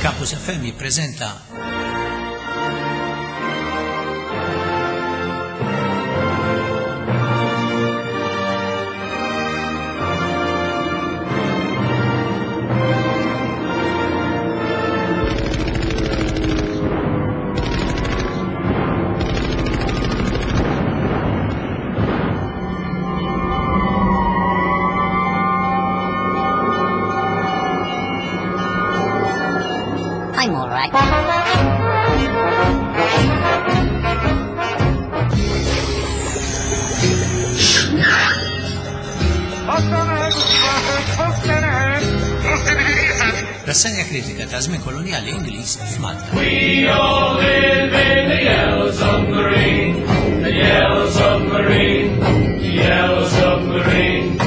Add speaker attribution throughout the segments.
Speaker 1: Campus FM jippreżenta
Speaker 2: I'm all right.
Speaker 1: Rassenja kritika ta' żmien kolonjali Ingliż f'Malta.
Speaker 3: We all live in the yellow submarine, the yellow submarine, the yellow submarine.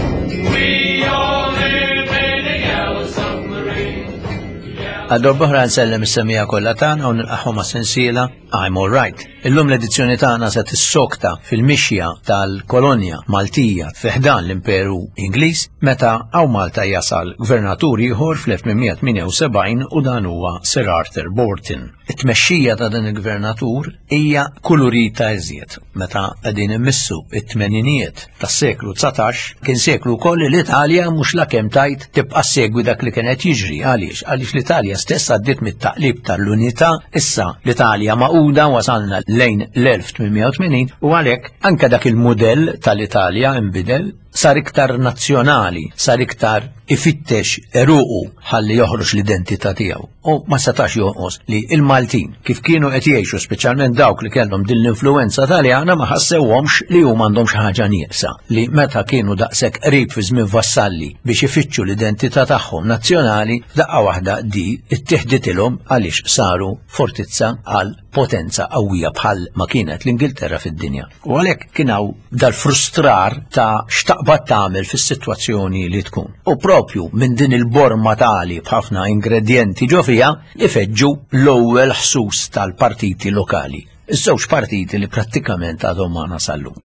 Speaker 3: We all live in the yellow submarine.
Speaker 1: Għal darb'oħra nsellem is-semmiegħa kollha tagħna u nilqagħhom għas-sensiela I'm All Right. Illum l-edizzjoni tagħna se tissokta fil-mixja tal-kolonja Maltija fi ħdan l-Imperu Ingliż meta hawn Malta jasal gvernatur ieħor fl-1878 u dan huwa Sir Arthur Borton. It-tmexxija ta' dan il-gvernatur hija kulurita iżjed meta qegħdin immissu it-tmeninijiet tas-seklu 19 kien seklu wkoll li l-Italja mhux la kemm tajt tibqa' segwi dak li kien qed jiġri għaliex għaliex l-Italja stess għaddiet mit-taqlib tal-unità issa l-Italja magħquda wasalna lejn l-1880 u għalhekk anke dak il-mudell tal-Italja inbidel sar iktar nazzjonali, sar iktar ifittex eruqu ħalli joħroġ l-identità tiegħu. U ma setax jonqos li il-Maltin kif kienu qed jgħixu speċjalment dawk li kellhom din l-influenza Taljana ma ħassewhomx li huma għandhom xi ħaġa nieqsa li meta kienu daqshekk qrib fi żmien Vassalli biex ifittxu l-identità tagħhom nazzjonali f'daqqa waħda di ittieħditilhom għaliex saru fortizza għal potenza qawwija bħal ma kienet l-Ingilterra fid-dinja. U għalhekk kien hawn dal-frustrar ta' x'taqbad tagħmel fis-sitwazzjoni li tkun. U propju minn din il-borma tali b'ħafna ingredjenti ġo fiha ifeġġu l-ewwel ħsus tal-partiti lokali. Iż-żewġ partiti li prattikament għadhom magħna sal-lum.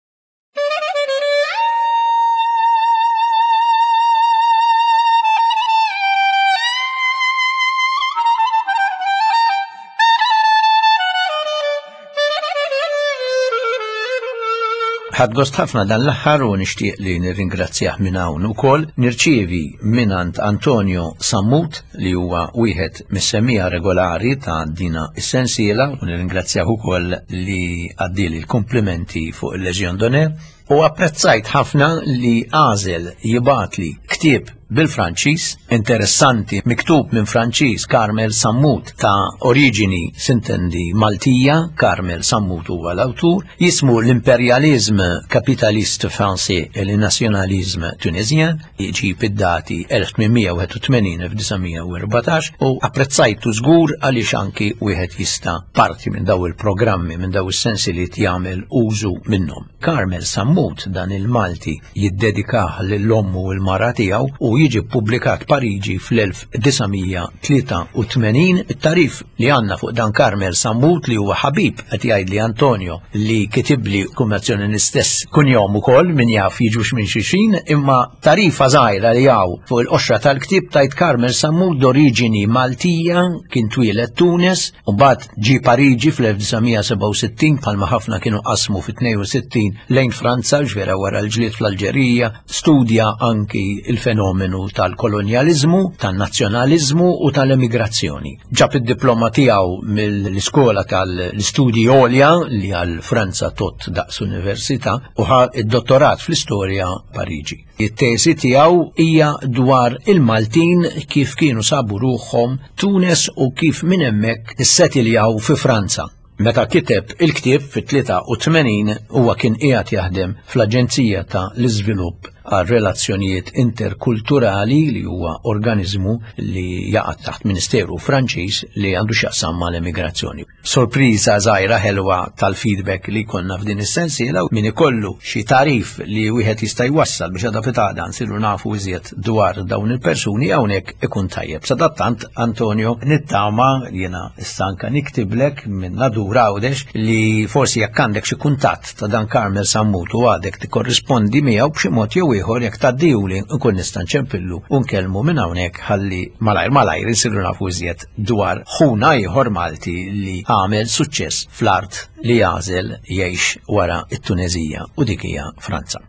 Speaker 1: Ħadt gost ħafna dan l-aħħar u nixtieq li nirringrazzjah minn hawn ukoll nirċievi mingħand Antonio Sammut li huwa wieħed mis-semmiegħa regolari ta' dina is-sensiela u nirringrazzjah ukoll li għaddieli l-kumplimenti fuq il-Legion d'Honneur u apprezzajt ħafna li għażel jibgħatli ktieb bil-Franċiż, interessanti, miktub minn Franċiż Carmel Sammut ta' oriġini sintendi Maltija, Carmel Sammut huwa l-awtur, jismu l-Imperialisme Capitaliste Français et le Nationalisme Tunisien, jġib id-dati 1881-1914 u apprezzajtu żgur għaliex anki wieħed jista' parti minn daw il-programmi, minn daw is-sensiliet jagħmel użu minnhom. Carmel Sammut dan il-Malti jiddedikah lil ommu u l-mara tiegħu u jiġi ppubblikat Pariġi fl-1983. It-tagħrif li għandna fuq dan Carmel Sammut li huwa ħabib qed jgħidli Antonio li kitibli kummazzjoni l-istess kunjom ukoll min jaf jiġux minn xulxin imma tagħrifa żgħira li hawn fuq il-qoxra tal-ktieb tgħid Carmel Sammut d'oriġini Maltija kien twieled Tunis u mbagħad Ġie Pariġi fl-1967 bħalma ħafna kienu qasmu fit-62 lejn Franza, ġvera wara l-ġlied fl-Alġerija, studja anki il-fenomenu tal-kolonjaliżmu, tan-nazzjonaliżmu u tal-emigrazzjoni. Ġab id-diploma tiegħu mill-iskola tal-istudji għolja li għal Franza tot daqs università u ħa id-dottorat fl-istorja Pariġi. It-teżi tiegħu hija dwar il-Maltin kif kienu sabu ruħhom Tunes u kif minn hemmhekk issetiljaw fi Franza. Meta kiteb il-ktieb fit-83 huwa kien qiegħed jaħdem fl-Aġenzija ta' l-Iżvilupp għal Relazzjonijiet Interkulturali li huwa organiżmu li jaqa' taħt Ministeru Franċiż li għandu x'jaqsam mal-emigrazzjoni. Sorpriża żgħira ħelwa tal-feedback li jkollna f'din is-sensiela min ikollu xi tagħrif li wieħed jista' jwassal biex għada pitgħada nsiru nafu iżjed dwar dawn il-persuni hawnhekk ikun tajjeb. Sadattant Antonio nittama jiena issa anke niktiblek minn Nadur Għawdex li forsi jekk għandek xi kuntatt ta' dan Carmel Sammut u għadek tikkorrispondi miegħu b'xi mod jew jew ieħor jekk tgħaddihuli nkun nista' nċempillu u nkellmu minn hawnhekk ħalli malajr malajr insiru nafu iżjed dwar ħuna ieħor Malti li għamel suċċess fl-art li għażel jgħix wara t-Tuneżija u dik hija Franza.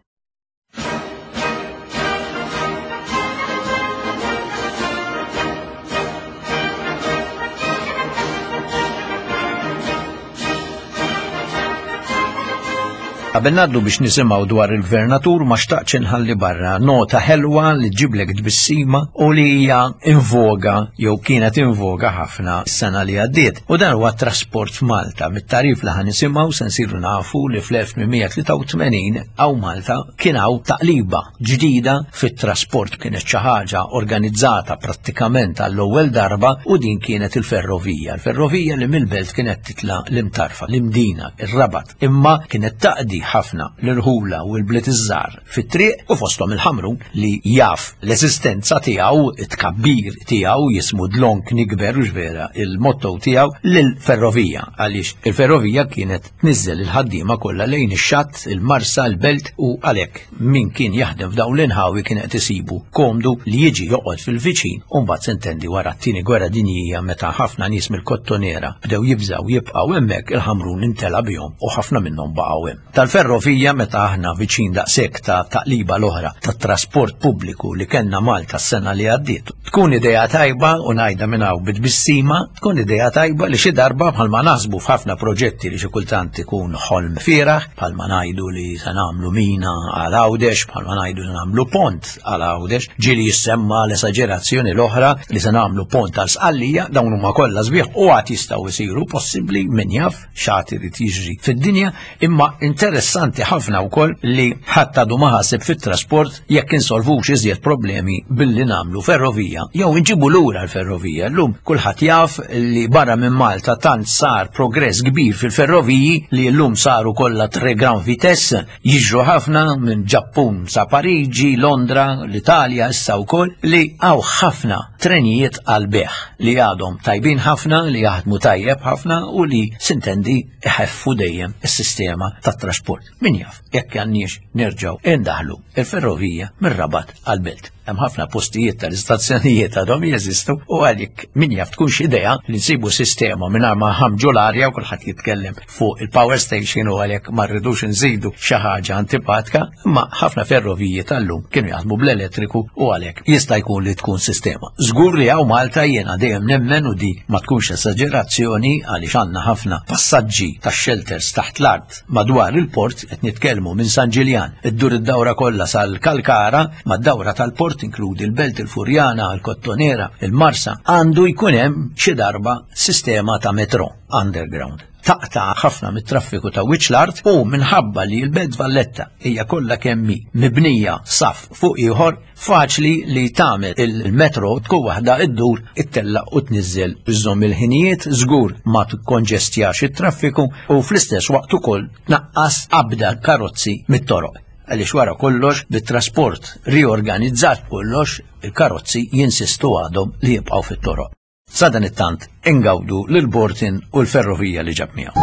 Speaker 1: Qabel ngħaddu biex nisimgħu dwar il-gvernatur ma xtaqtx inħalli barra nota ħelwa li ġiblek tbissima u li hija invoga jew kienet invoga ħafna s-sena li għaddiet. U dan huwa trasport f'Malta. Mit-tarif li ħa nisimgħu se nsiru nafu li fl-1883 hawn Malta kien hawn taqliba ġdida fit-trasport kienet xi ħaġa organizzata prattikament għall-ewwel darba u din kienet il-ferrovija. Il-ferrovija li mill-belt kienet titla l-imtarfa, l-imdina, ir-rabat, imma kienet taqdi ħafna l-irħula u l-bliet iż-żgħar fit-triq u fosthom il-Ħamrun li jaf l-eżistenza tiegħu, it-tkabbir tiegħu jismu dlonk nikber u vera il-motto tiegħu lill-ferrovija għaliex il-ferrovija kienet tniżżel il-ħaddiema kollha lejn ix-xatt, il-Marsa, il-Belt u għalhekk min kien jaħdem f'dawn l-inħawi kien qed isibu komdu li jiġi joqgħod fil-viċin u mbagħad sintendi wara t-tieni gwerra dinjija meta ħafna nies mill-Kottonera bdew jibżgħu jibqgħu hemmhekk il-Ħamrun intela' bihom u ħafna minnhom baqgħu hemm. Tal-ferrovija meta aħna viċin daqshekk ta' taqliba l-oħra tat-trasport pubbliku li kellna Malta s-sena li għaddiet. Tkun idea tajba u ngħidha minn hawn bi tbissima, tkun idea tajba li xi darba bħalma naħsbu f'ħafna proġetti li xi kultant ikun ħolm fieragħ, bħalma ngħidu li se nagħmlu mina għal Għawdex, bħalma ngħidu se nagħmlu pont għal Għawdex, ġieli jissemma l-esaġerazzjoni l-oħra li se nagħmlu pont għal Sqallija, dawn huma kollha sbieħ u għad jistgħu jsiru possibbli min jaf x'għad irid jiġri fid-dinja, imma interessanti ħafna wkoll li ħadd għadu ma ħaseb fit-trasport jekk insolvux iżjed problemi billi nagħmlu ferrovija jew inġibu lura l-ferrovija. Llum kulħadd jaf li barra minn Malta tant sar progress kbir fil-ferroviji li llum saru kollha tre grand vitesse jiġru ħafna minn Ġappun sa Pariġi, Londra, l-Italja issa wkoll li hawn ħafna trenijiet għal beħ li għadhom tajbin ħafna, li jaħdmu tajjeb ħafna u li sintendi iħeffu dejjem is-sistema tat-trasport. Min jaf, jekk għandniex nerġgħu indaħlu il-ferrovija mir-Rabat għall-Belt. Hemm ħafna postijiet tal-istazzjonijiet għadhom jeżistu u għalik min jaf tkunx idea li nsibu sistema mingħajr ma ħamġu l-arja u kulħadd jitkellem fuq il-power station u għalhekk ma rridux nżidu xi ħaġa antipatka, imma ħafna ferroviji tal-lum kienu jaħdmu bl-elettriku u għalhekk jista' jkun li tkun sistema. Żgur li hawn Malta jiena dejjem nemmen u di ma tkunx esaġerazzjoni għaliex għandna ħafna passaġġi tax-shelters taħt l-art Madwar il-port qed nitkellmu minn San Ġiljan, iddur id-dawra kollha sal-Kalkara, mad-dawra tal-port inkludi l-Belt, il-Furjana, il-Kottonera, il-Marsa, għandu jkun hemm xi darba sistema ta' metro underground. Taqta' ħafna mit-traffiku ta' wiċċ l-art u minħabba li l-Belt Valletta hija kollha kemm hi mibnija saff fuq ieħor, Faċli li tagħmel il-metro tkun waħda iddur ittella' u tniżżel iżżomm il-ħinijiet, żgur ma tikkonġestjax it-traffiku u fl-istess waqt ukoll tnaqqas qabda karozzi mit-toroq. Għaliex wara kollox bit-trasport riorganizzat kollox il-karozzi jinsistu għadhom li jibqgħu fit-toroq. Sadanittant ingawdu lil Bortin u l-ferrovija li ġab miegħu.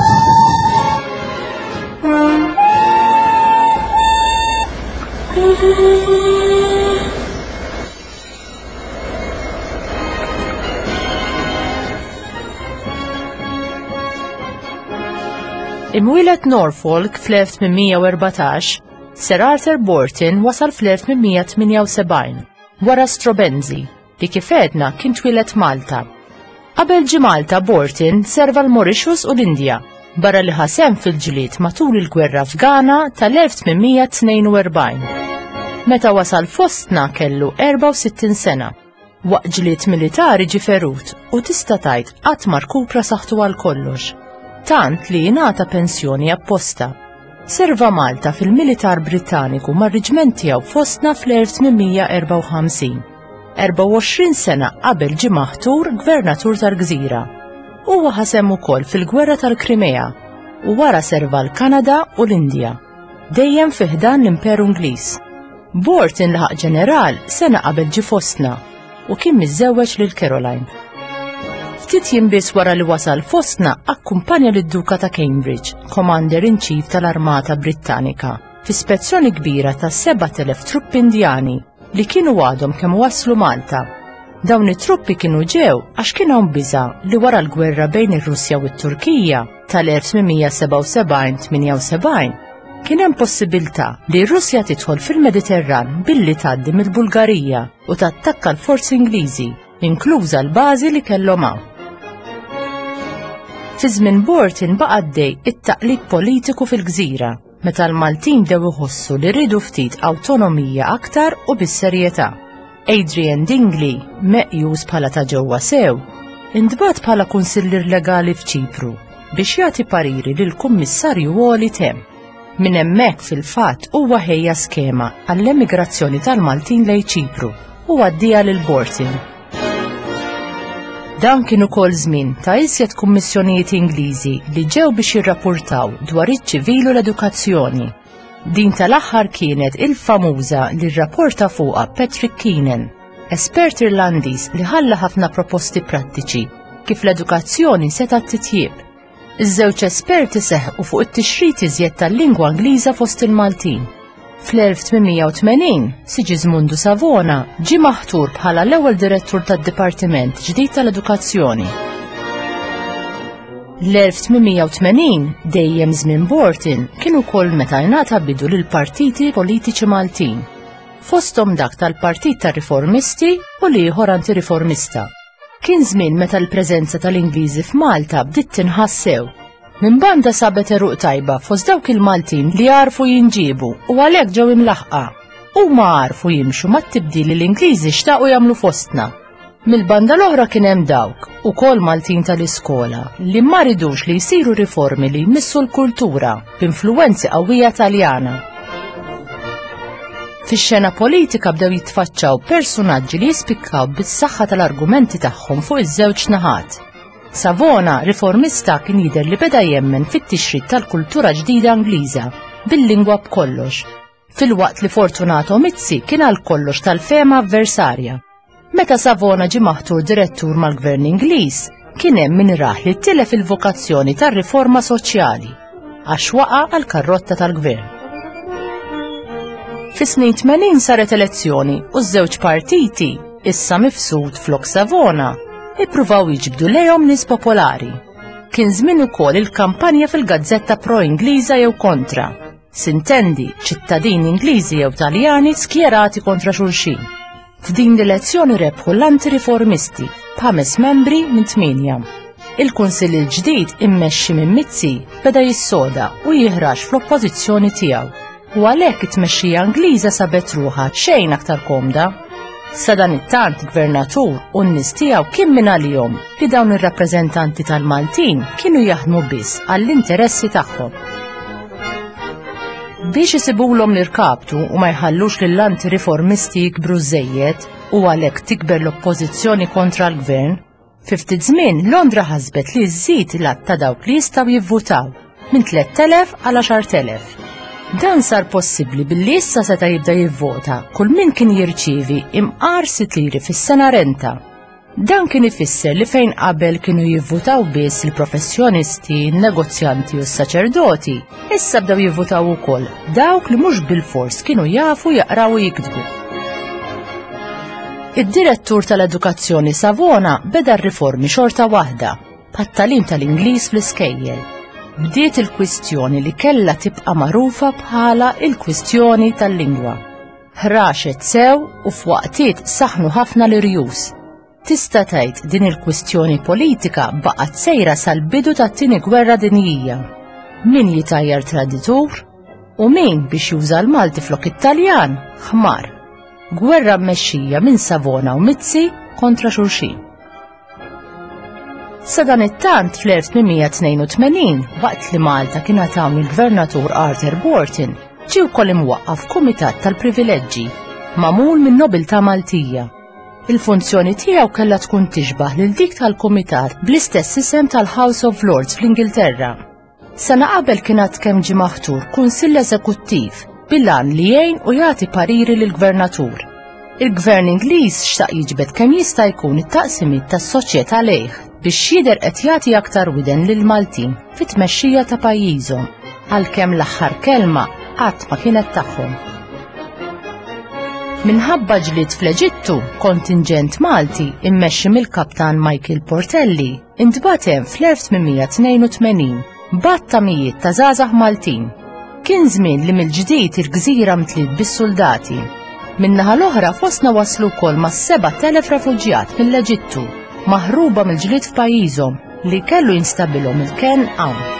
Speaker 4: Imwieled Norfolk fl-1814, Sir Arthur Borton wasal fl-1878 wara Strobenzi li kif għedna kien twieled Malta. Qabel ġie Malta Borton serva l-Mauritius u l-Indja, barra li ħa sehem fil-ġlied matul il-gwerra Afgana tal-1842. Meta wasal fostna kellu 64 sena. Waqt ġlied militari ġie ferut u tista' tgħid qatt ma rkupra saħħtu għal kollox. Tant li jingħata pensjoni apposta. Serva Malta fil-militar Brittaniku mar-riġment tiegħu fostna fl-1854. 24 sena qabel ġie maħtur gvernatur tal-gżira. Huwa ħa sehem ukoll fil-Gwerra tal-Krimea u wara serva l-Kanada u l-Indja, dejjem fi ħdan l-Imperu Ingliż. Borton laħaq ġeneral sena qabel ġie fostna u kien miżżewweġ lil Caroline. Ftit jiem biss wara li wasal fostna akkumpanja lid-Duka ta' Cambridge, Commander in Chief tal-Armata Brittanika. fi spezzjoni kbira ta' 7,000 truppi Indjani li kienu għadhom kemm waslu Malta. Dawn it-truppi kienu ġew għax kien hawn biża' li wara l-gwerra bejn ir-Russja u t-Turkija tal-1877-78 kien hemm possibilità li r-Russja tidħol fil-Mediterran billi tgħaddi mill-Bulgarija u tattakka l-forzi Ingliżi, inkluża l-bażi li kellhom hawn. Fi żmien Borton baqa' għaddej it-taqlib politiku fil-gżira meta l-Maltin bdew iħossu li riedu ftit awtonomija aktar u bis-serjetà. Adrian Dingli, meqjus bħala ta' ġewwa sew, intbagħat bħala kunsillier legali f'Ċipru biex jagħti pariri lill-Kummissarju Għoli t'hemm. Minn hemmhekk fil-fatt huwa ħejja skema għall-emigrazzjoni tal-Maltin lejn Ċipru u għaddieha lil Borton. Dan kien ukoll żmien ta' iżjed kummissjonijiet Ingliżi li ġew biex jirrapportaw dwar iċ-ċivil u l-edukazzjoni. Din tal-aħħar kienet il-famuża li rrapporta fuqha Patrick Keenan, espert Irlandiż li ħalla ħafna proposti prattiċi kif l-edukazzjoni setgħet titjieb. Iż-żewġ esperti seħqu fuq it-tixrid iżjed tal-lingwa Ingliża fost il-Maltin. Fl-1880, Sigismundu Savona ġie maħtur bħala l-ewwel direttur tad-Dipartiment ġdid tal-Edukazzjoni. L-1880, dejjem żmien Borton, kien ukoll meta ingħata bidu lil partiti politiċi Maltin, fosthom dak tal-Partit tar-Riformisti u l-ieħor Antiriformista. Kien żmien meta l-preżenza tal-Ingliżi f'Malta bdiet tinħass sew. Minn banda sabet għeruq tajba fost dawk il-Maltin li għarfu jinġiebu u għalhekk ġew imlaħħqa. Huma għarfu jimxu mat-tibdil li l-Ingliżi xtaqu jagħmlu fostna. Mill-banda l-oħra kien hemm dawk, ukoll Maltin tal-iskola, li ma ridux li jsiru riformi li jmissu l-kultura b'influwenzi qawwija Taljana. Fix-xena politika bdew jitfaċċaw persunaġġi li jispikkaw bis-saħħa tal-argumenti tagħhom fuq iż-żewġ naħat. Savona, riformista, kien jidher li beda jemmen fit-tixrid tal-kultura ġdida Ingliża, bil-lingwa b'kollox, filwaqt li Fortunato Mizzi kien għal kollox tal-fehma avversarja. Meta Savona ġie maħtur direttur mal-Gvern Ingliż, kien hemm min rah li tilef il-vokazzjoni tar-riforma soċjali għax waqa' għall-karrotta tal-Gvern. Fis-snin 80 saret elezzjoni u ż-żewġ partiti, issa mifsud flok Savona, ippruvaw jiġbdu lejhom nies popolari. Kien żmien ukoll il-kampanja fil-gazzetta pro-Ingliża jew kontra. Sintendi, ċittadini Ingliżi jew Taljani skjerati kontra xulxin. F'din l-elezzjoni rebħu l-antiriformisti b'ħames membri minn tmienja. Il-Kunsill il-ġdid immexxi minn Mizzi beda jissoda u jiħrax fl-oppożizzjoni tiegħu u għalhekk it-tmexxija Ingliża sabet ruħha xejn aktar komda. Sadanittant gvernatur u n-nies tiegħu kien minn għalihom li dawn ir-rappreżentanti tal-Maltin kienu jaħdmu biss għall-interessi tagħhom. Biex isibulhom l-irkaptu u ma jħallux lill-antiriformisti jikbru żejjed u għalhekk tikber l-oppożizzjoni kontra l-gvern, Fi ftit żmien Londra ħasbet li żżid l-għadd ta' dawk li jistgħu jivvutaw minn 3,000 għal 10,000. Dan sar possibbli billi issa seta' jibda jivvota kull min kien jirċievi imqar sitt liri fis-sena renta. Dan kien ifisser li fejn qabel kienu jivvutaw biss il-professjonisti, negozjanti u s-saċerdoti, issa bdew jivvutaw ukoll dawk li mhux bilfors kienu jafu jaqraw u jiktbu. Id-direttur tal-edukazzjoni Savona beda r-riformi xorta waħda, bħat-tagħlim tal-Ingliż fl-iskejjel. Bdiet il-kwistjoni li kellha tibqa' magħrufa bħala il-kwistjoni tal-lingwa. Ħraxet sew u f'waqtiet saħnu ħafna l-irjus. Tista' tgħid din il-kwistjoni politika baqgħet sejra sal-bidu tat-Tieni Gwerra Dinjija. Min jitajjar traditur u min biex juża l-Malti flok it-Taljan, ħmar. Gwerra mmexxija minn Savona u Mizzi kontra xulxin. Sadanittant fl-1882, waqt li Malta kien għad il-Gvernatur Arthur Borton, ġie wkoll imwaqqaf Kumitat tal-Privileġġi, magħmul minn nobiltà Maltija. Il-funzjoni tiegħu kellha tkun tixbah lil dik tal-Kumitat bl-istess isem tal-House of Lords fl-Ingilterra. Sena qabel kien għad kemm ġie maħtur Kunsill Eżekuttiv bil-għan li jgħin u jagħti pariri lill-Gvernatur. Il-Gvern Ingliż xtaq jiġbed kemm jista' jkun it-taqsimiet tas-soċjetà lejh biex jidher qed jagħti aktar widen lill-Maltin fit-tmexxija ta' pajjiżhom, għalkemm l-aħħar kelma qatt ma kienet tagħhom. Minħabba ġlied fl-Eġittu, kontinġent Malti immexxi mill-Kaptan Michael Portelli intbagħat hemm fl-1882 b'għadd ta' mijiet ta' żgħażagħ Maltin. Kien żmien li mill-ġdid il-gżira mtliet bis-suldati. Min-naħa l-oħra fostna waslu wkoll mas-7,000 refuġjat mill-Eġittu, maħruba mill-ġlied f'pajjiżhom li kellu jinstabilhom il-kenn hawn.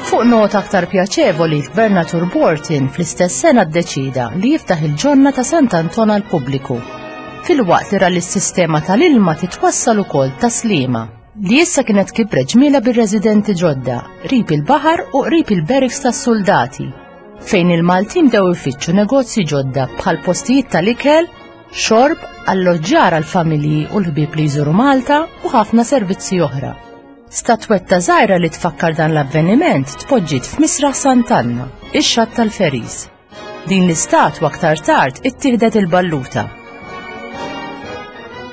Speaker 4: Fuq nota aktar pjaċevoli, l-Gvernatur Borton fl-istess sena ddeċida li jiftaħ il-ġonna ta' Sant'Anton għall-pubbliku, filwaqt li ra li s-sistema tal-ilma titwassal ukoll ta' Sliema, li issa kienet kibret ġmiela bir-residenti ġodda, qrib il-baħar u qrib il-barracks tas-suldati, fejn il-Maltin bdew ifittxu negozji ġodda bħal postijiet tal-ikel, xorb, alloġġjar għall-familji u l-ħbieb li jżuru Malta u ħafna servizzi oħra. Statwetta żgħira li tfakkar dan l-avveniment tpoġġiet f'Misraħ Sant'Anna, ix-xatt tal-Ferries. Din l-istatwa aktar tard ittieħdet il-Balluta.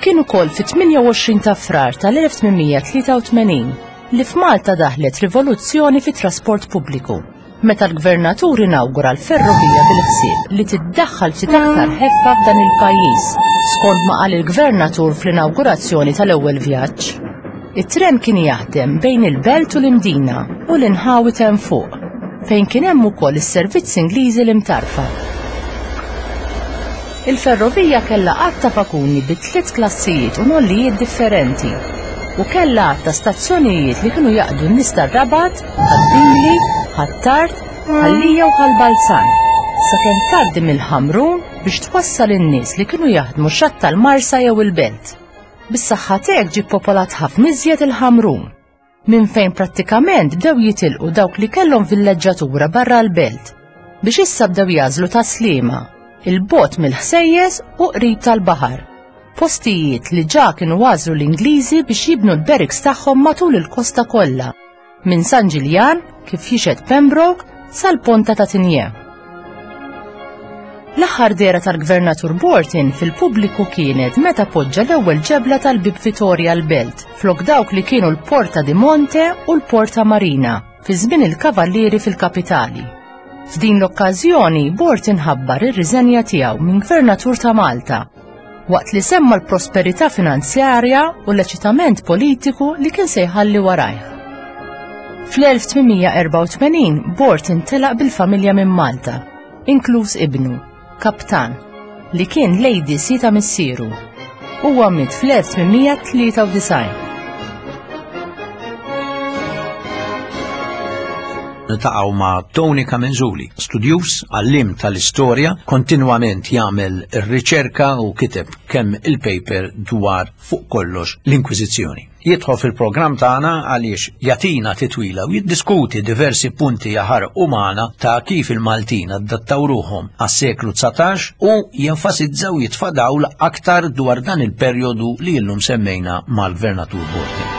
Speaker 4: Kien ukoll fit-28 ta' Frar tal-1883 li f'Malta daħlet rivoluzzjoni fit-trasport pubbliku. Meta l-Gvernatur inawgura l-ferrovija bil-ħsieb li tiddaħħal ftit aktar ħeffa f'dan il-pajjiż, skont ma qal il-Gvernatur fl-inawgurazzjoni tal-ewwel vjaġġ. It-tren kien jaħdem bejn il-Belt u l-Imdina u l-inħawi t'hemm fuq, fejn kien hemm ukoll is-servizz Ingliżi l-Imtarfa. Il-ferrovija kellha għadd ta' vaguni bi tliet klassijiet u nollijiet differenti u kellha għadd ta' stazzjonijiet li kienu jaqdu n-nies tar-Rabat, Ħad-Dingli, Ħ'Attard, Ħal Lija u Ħal Balzan, sakemm tgħaddi mill-Ħamrun biex twassal in-nies li kienu jaħdmu xatt tal-Marsa jew il-Belt. Bis-saħħa t'hekk ġie ppopolat ħafna iżjed il-Ħamrun. minn fejn prattikament bdew jitilqu dawk li kellhom villeġġatura barra l-belt, biex issa bdew jagħżlu Tas-Sliema, 'il bogħod mill-ħsejjes u qrib tal-baħar, postijiet li ġa kienu għażlu l-Ingliżi biex jibnu l-barracks tagħhom matul il-kosta kollha, minn San Ġiljan, kif jixhed Pembroke, sal-Ponta ta' Tigné. L-aħħar dehra tal-Gvernatur Borton fil-pubbliku kienet meta poġġa l-ewwel ġebla tal-Bieb Vitorja l-Belt flok dawk li kienu l-Porta di Monte u l-Porta Marina fi żmien il-Kavallieri fil-kapitali. F'din l-okkażjoni Borton ħabbar ir-riżenja tiegħu minn Gvernatur ta' Malta waqt li semma l-prosperità finanzjarja u l-eċitament politiku li kien se jħalli warajh. Fl-1884 Borton telaq bil-familja minn Malta, inkluż ibnu, Kaptan, li kien l-ADC ta' missieru. Huwa miet fl-1893.
Speaker 1: Niltaqgħu ma' Tony Camenzuli, studjuż, għalliem tal-istorja, kontinwament jagħmel ir-riċerka u kiteb kemm il-paper dwar fuq kollox l-Inkwiżizzjoni. Jidħol fil-programm tagħna għaliex jagħtina titwila u jiddiskuti diversi punti jaħarqu magħna ta' kif il-Maltin adattaw ruħhom għas-seklu 19 u jenfasizza u jitfa' dawl aktar dwar dan il-perjodu li illum semmejna mal-Gvernatur Borti.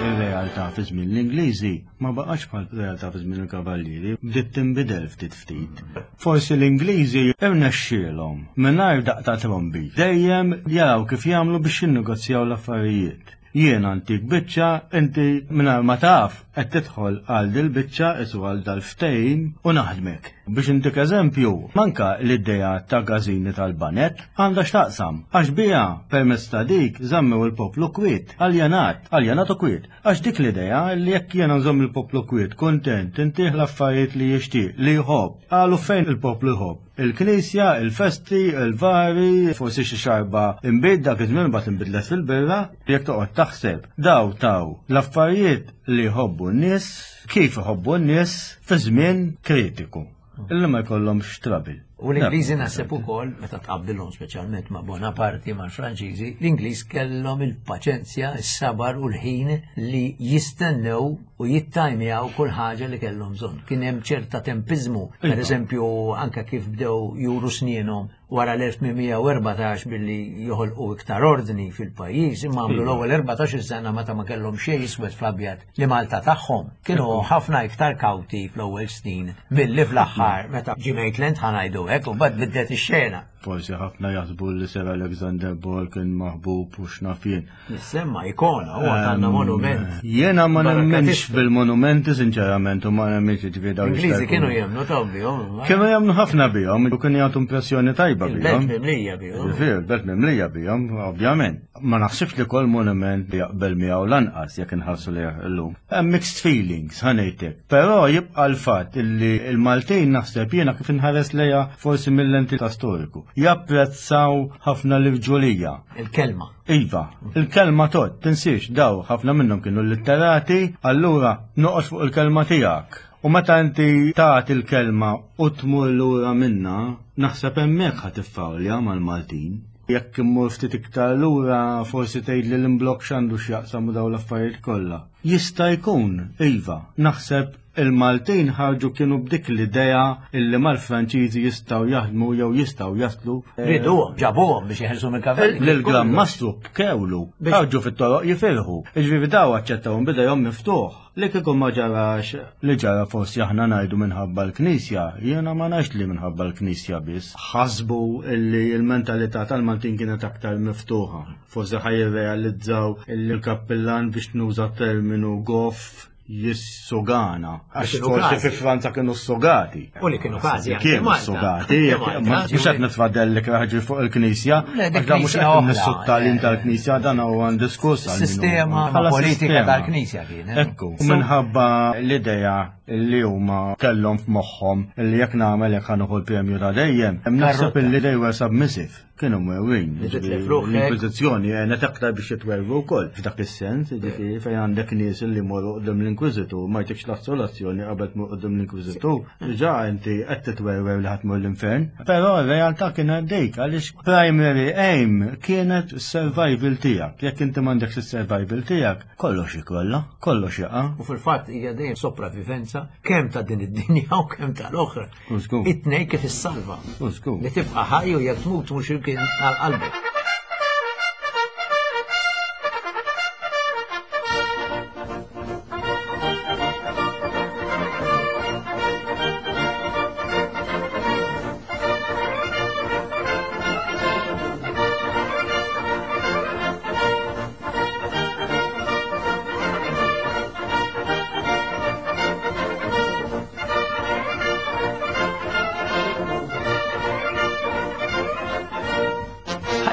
Speaker 5: Ir-realtà fi żmien l-Ingliżi ma baqgħetx bħal realtà fi żmien il-Kavallieri, bdiet tinbidel ftit ftit. Forsi l-Ingliżi irnexxielhom mingħajr daqq ta' trombi dejjem jaraw kif jagħmlu biex jinnegozjaw l-affarijiet. Jiena ntik biċċa, inti mingħajr ma taf qed tidħol għal dil-biċċa isu għal dal-ftehim u naħdmek. Biex intik eżempju, manka l-idea ta' gażini tal-banet għandha x'taqsam, għax biha permezz ta' dik żammew il-poplu kwiet, aljenat, aljenat u kwiet. Għax dik l-idea li jekk jiena nżomm il-poplu kwiet, kuntent, intih l-affarijiet li jixtieq, li jħobb, qalu fejn il-poplu jħobb. Il-knisja, il-festi, il-vari, forsi xi xarba inbid dak iż-żmien mbagħad inbidlet fil-birra, jekk toqgħod taħseb daw taw l-affarijiet li jħobbu n-nies, kif iħobbu n-nies fi żmien kritiku. Illi ma jkollhomx trouble.
Speaker 1: U l-Ingliżi naħseb ukoll meta tqabbilhom speċjalment ma' Bonaparte mal-Franċiżi, l-Ingliż kellhom il-paċenzja, is-sabar u l-ħin li jistennew u jittajmjaw kull ħaġa li kellhom bżonn. Kien hemm ċerta tempiżmu, per iva. eżempju anke kif bdew juru snienhom wara l-1814 billi joħolqu iktar ordni fil-pajjiż, imma għamlu iva. l-ewwel 14 sena meta ma kellhom xejn iswed fl-abjad li Malta tagħhom. Kienu ħafna iktar kawti fl-ewwel snin milli fl-aħħar meta ġie Maitland ħa ngħidu hekk u mbagħad bidlet ix-xena.
Speaker 5: Forsi ħafna jaħsbu li Sir Alexander Ball kien maħbub u x'naf jien.
Speaker 1: Nissemma ikona, huwa għandna monument.
Speaker 5: Jiena ma nemminx bil-monumenti sinċerament u ma nemminx ġifieri dawn.
Speaker 1: Ingliżi kienu jemmnu ta' bihom.
Speaker 5: Kienu jemmnu ħafna bihom u kienu jagħtu impressjoni tajba bihom.
Speaker 1: Il-belt mimlija bihom.
Speaker 5: Ġifieri, il-belt mimlija bihom, ovvjament. Ma naħsibx li kol monument li jaqbel miegħu lanqas jekk inħarsu lejh illum. Hemm mixed feelings, ħanejtek. Però jibqa' l-fatt illi l-Maltin naħseb jiena kif inħares lejha forsi mill-lenti ta' storiku. Japprezzaw ħafna l-irġulija.
Speaker 1: Il-kelma.
Speaker 5: Iva, il-kelma tgħodd, tinsiex daw ħafna minnhom kienu litterati, allura noqgħod fuq il-kelma tiegħek. U meta inti tagħti l-kelma u tmur lura minnha, naħseb hemmhekk ħa tiffawlja mal-Maltin. Jekk immur ftit iktar lura forsi tgħidli l-imblokk x'għandu x'jaqsam u dawn l-affarijiet kollha. Jista' jkun, iva, naħseb Il-Maltin ħarġu kienu b'dik l-idea illi mal-Franċiżi jistgħu jaħdmu jew jistgħu jaslu.
Speaker 1: Riduhom, ġabuhom biex jeħilsu mill-kavalli.
Speaker 5: Lill-Gran Mastru bkewlu, ħarġu fit-toroq jifirħu. Jiġifieri daw aċċettawhom b'idejhom miftuħ. Li kieku ma ġarax li ġara forsi aħna ngħidu minħabba l-Knisja, jiena ma ngħidx li minħabba l-Knisja biss. Ħasbu illi l-mentalità tal-Maltin kienet aktar miftuħa. Forsi ħa jirrealizzaw illi l-kappillan biex nuża terminu goff jissogana. Għax forsi fi Franza kienu sogati.
Speaker 1: U li kienu każi.
Speaker 5: Kienu sogati. Mhux qed nitfadel li ħaġi fuq il-Knisja. Għax dan mhux qed nissu t-tagħlim tal-Knisja dan huwa diskuss.
Speaker 1: Sistema politika tal-Knisja kien.
Speaker 5: Eh? Ekku. Minħabba l-idea li huma kellhom f'moħħhom li jekk nagħmel jekk ħanuħu l-premju ta' dejjem, naħseb illi they were submissive. Kienu mwewin. L-Inkwiżizzjoni għenet aktar biex jitwerwu wkoll. F'dak is-sens, jiġifieri fejn għandek nies li jmorru quddiem l-Inkwiżitur ma jtikx l-assolazzjoni qabel tmur quddiem l-Inkwiżitur, diġà inti qed titwerwer li ħa tmur l-infern. Però r-realtà kienet dik għaliex primary aim kienet is-survival tiegħek. Jekk inti m'għandekx is-survival tiegħek, kollox jikrolla, kollox jaqa'.
Speaker 1: U fil-fatt hija dejjem sopravivenza kemm ta' din id-dinja u kemm tal-oħra. It-tnej kif issalva. Li tibqa' ħaj u jekk tmut mhux imkien għal qalbek.